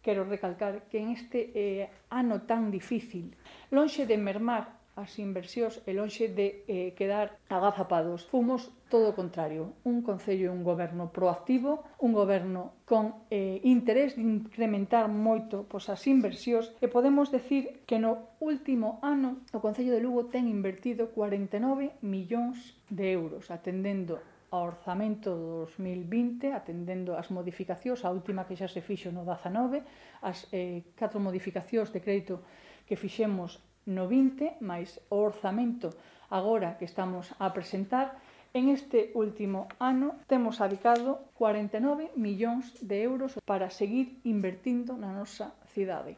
quero recalcar que en este ano tan difícil, lonxe de mermar as inversións e lonxe de quedar agazapados, fomos todo o contrario, un concello e un goberno proactivo, un goberno con interés de incrementar moito as inversións, e podemos decir que no último ano o Concello de Lugo ten invertido 49 millóns de euros, atendendo ao orzamento do 2020, atendendo as modificacións, a última que xa se fixo no 19, as 4 modificacións de crédito que fixemos no 20, máis o orzamento agora que estamos a presentar. En este último ano temos adicado 49 millóns de euros para seguir invertindo na nosa cidade.